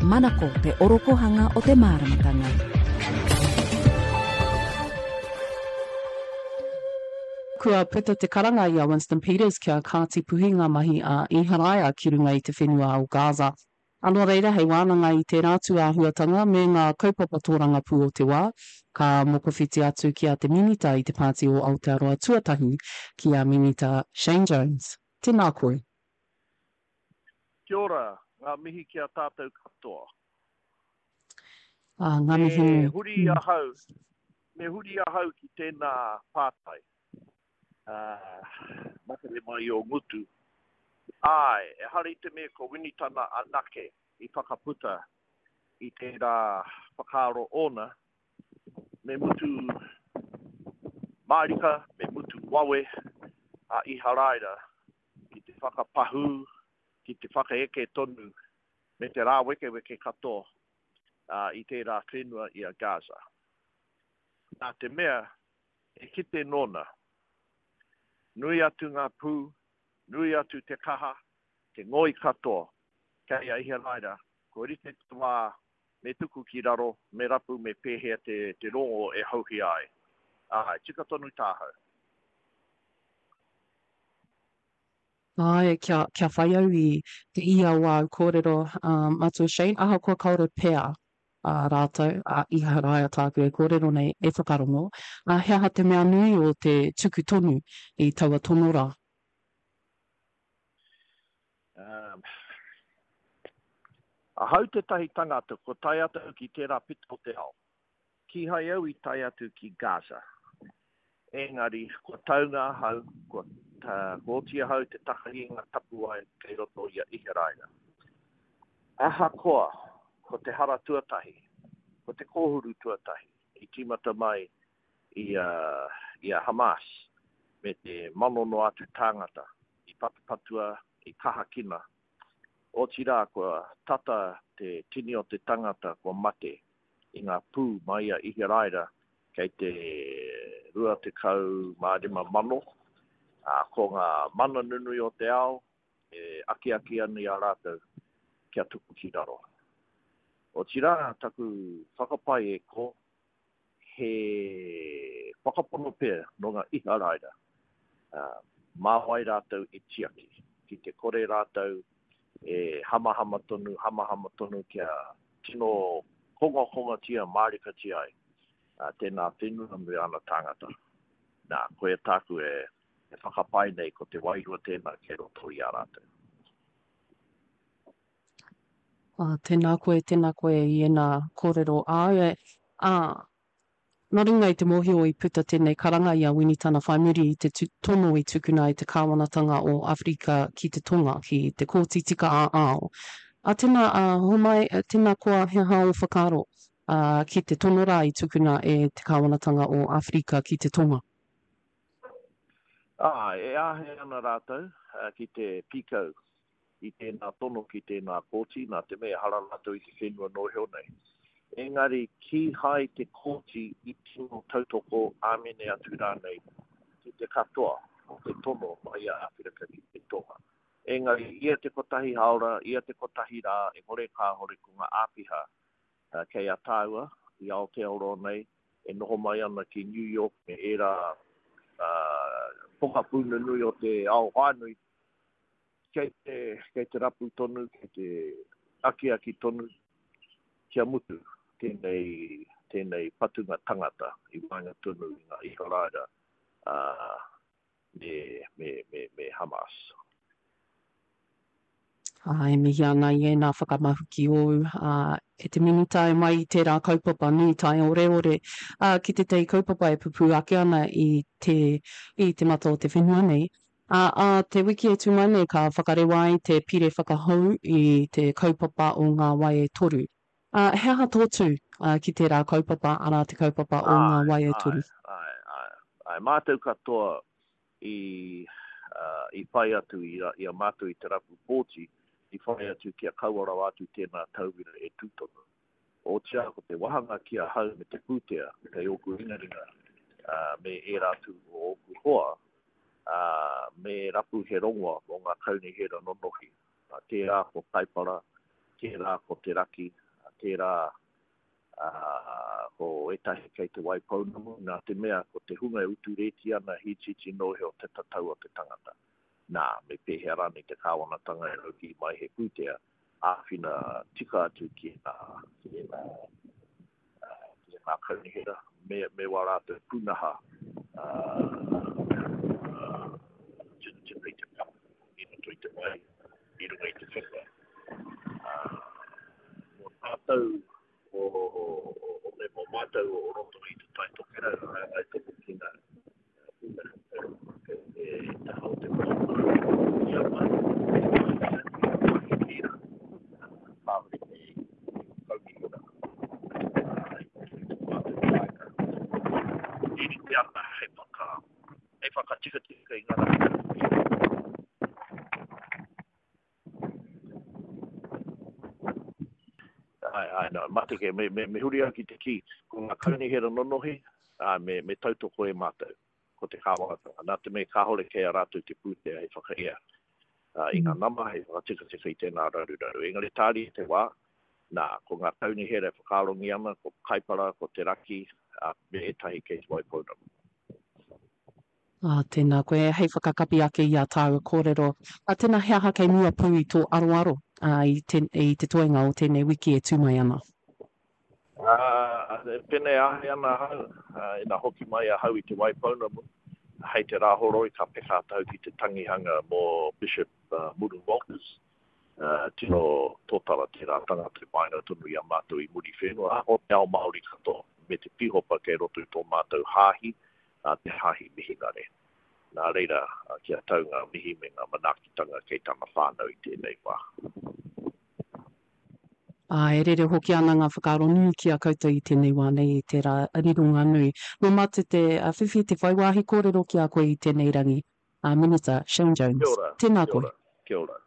Manako te orokohanga o te māramatanga. Kua puta te karanga i a Winston Peters kia kāti puhi ngā mahi a Iharaia ki runga i te whenua o Gaza. Ā, nō reira, hei wānanga i tērā tūāhuatanga me ngā kaupapa tōrangapū o te wā, ka mokowhiti atu ki a te Minita i te Pāti o Aotearoa Tuatahi, ki a Minita Shane Jones. Tēnā koe. Kia ora, ngā mihi ki a tātou katoa. Ā, ngā mihi nui. Me huri ahau, me huri ahau ki tēnā pātai. Ā, makere mai ō ngutu. Āe, ehara i te mea ko Winitana anake i whakaputa i tērā whakaaro ōna, me mutu mārika, me mutu wawe a Iharaira ki te whakapahū, ki te whakaeke tonu me te rāwekeweke katoa i tērā whenua i a Gaza. Nā te mea, he kite nōna. Nui atu ngā pū, nui atu te kaha, te ngoi katoa kei a Iharaira, kua rite te wā me tuku ki raro, me rapu me pēhea te, te rongo e hauhia ai. Āe, tika tonu tāhau. Āe, kia, kia whai au i te ia o āu kōrero, ā, Matua Shane, ahakoa kāore pea ā rātou, a Iharaia tāku e kōrero nei, e whakarongo, ā, he aha te mea nui o te tuku tonu i taua tono rā? Um, ahau tētahi tangata kua tae atu ki tērā pito o te ao. Kīhai au i tae atu ki Gaza. Engari, kua taunga ahau, kua, kua oti ahau te takahi i ngā tapuwae kei roto i a Iharaira. Ahakoa, ko te hara tuatahi, ko te kōhuru tuatahi i tīmata mai i a, i a Hamas me te manono atu tāngata i patupatua, i kahakina. Otirā, kua tata te tini o te tangata kua mate i ngā pū mai a Iharaira kei te 25,000, ā, ko ngā mana nunui o te ao e akiaki ana i a rātou kia tuku ki raro. Otirā, taku whakapae e kō, he whakapono pea nō ngā Iharaira, ā, mā wai rātou e tiaki, ki te kore rātou e hamahama tonu, hamahama tonu kia tino kongakongatia mārikatia ai tēnā whenua me ana tāngata. Nā, koia tāku e whakapae nei ko te wairua tēnā kei roto i a rātou. Ā, tēnā koe, tēnā koe i ēnā kōrero āu e, ā, nā runga i te mōhio i puta tēnei karanga i a Winitana whai muri i te tono i tukuna e te kāwanatanga o Awherika ki te Tonga ki te Kōti Tika ā-Ao. Ā, tēnā, ā, homai, tēnā koa he aha ō whakaaro, ā, ki te tono rā i tukuna e te kāwanatanga o Awherika ki te Tonga? Ā, e āhei ana rātou ki te pīkau i tēnā tono ki tēnā kōti, nā te mea ehara rātou i te whenua noheo nei. Engari kīhai te kōti i tino tautoko āmene atu rānei ki te katoa o te tono mai a Āwherika ki te Tonga. Engari ia te kotahi haora, ia te kotahi rā, e kore kāhore ko ngā āpiha kei a tāua i Aotearoa nei e noho mai ana ki New York me ērā pokapū nunui o te ao whānui, Kei te, kei te rapu tonu, kei te akiaki tonu kia mutu tēnei, tēnei patunga tangata i waenga tonu i ngā Iharaira, ā, me, me, me, me Hamas. Ā, e mihi ana i ēnā whakamahuki ōu, ā, e te Minita e mai i tērā kaupapa nui taioreore, ā, ki tētahi kaupapa e pupū ake ana i te, i te mata o te whenua nei. Ā, ā te wiki e tū mai nei ka whakarewa ai te pire whakahou i te kaupapa o Ngā Wai e Toru. Ā, he aha tō tū, ā, ki tērā kaupapa, arā te kaupapa o Ngā Āe, Wai e āe, Toru? āe, āe, āe. Mātou katoa i, ā, i whai atu i a, i a mātou i te rapu pōti, i whai atu kia kaua rawa atu tēnā tauira e tū tonu. Otirā ko te wahanga ki ahau me te pūtea kei ōku ringaringa, ā, me ērā atu o ōku hoa, ā, me rapu he rongoa mō ngā kaunihera nonohi, ā, tērā ko Kaipara, Tērā ko te raki, tērā ko ētahi kei Te Waipounamu, nā te mea ko te hunga e utu rēti ana he itiiti noa iho te tatau o te tangata. Nā, me pēhea rānei te kāwanatanga e raukī mai he pūtea āwhina tika atu ki ēnā, ki ēnā, ki ēnā kaunihera me, me wā rātou pūnaha tinitini i te papa i roto i te wai, i runga i te whenua. Mō tātou o, o, me mō mātou o roto i te Tai Tokerau, hāngai tonu ki ngā pūnaha kei te taha o te moana i a mātou, e mahi tērā, kāore he kaunihera i roto i tō mātou kāinga. E rite ana hei whaka, hei whakatikatika i ngā raruraru. Āe, āe, nā, mate kē, me, me, me huri au ki te kī, ko ngā kaunihera nonohi, ā, me, me tautoko e mātou, ko te kāwanatanga, nā te mea kāore kei a rātou te pūtea hei whakaea ā, i ngā nama, hei whakatikatika i tēnā raruraru. Engari tāria te wā, nā, ko ngā kaunihera e whakaarongi ana, ko Kaipara, ko Te Raki, ā, me ētahi kei Te Waipounamu. Ā, tēnā koe, hei whakakapi ake i ā tāua kōrero. Ā, tēnā he aha kei mua pū i tō aroaro, ā, i te, i te toenga o tēnei wiki e tū mai ana? Ā, pēnei āhei ana ahau, ā, ina hoki mai ahau i Te Waipounamu, hei te Rāhoroi ka peka atu ki te tangihanga mō Bishop Muru Walters. Ā, tino tōtara tērā tangata i waenga tonu i a mātou i Muriwhenua, ā, o te ao Māori katoa, me te pīhopa kei roto i tō mātou hāhi, a te Hāhi Mihinare. Nā reira, kia tau ngā mihi me ngā manaakitanga kei tana whānau i tēnei wā. Ā, e rere hoki ana ngā whakaaro nui ki a koutou i tēnei wā nei i tērā rironga nui. Nō mātou te whiwhi, te whai wāhi kōrero ki a koe i tēnei rangi, a Minita Shane Jones. Kia ora, Tēnā kia koe. ora, kia ora.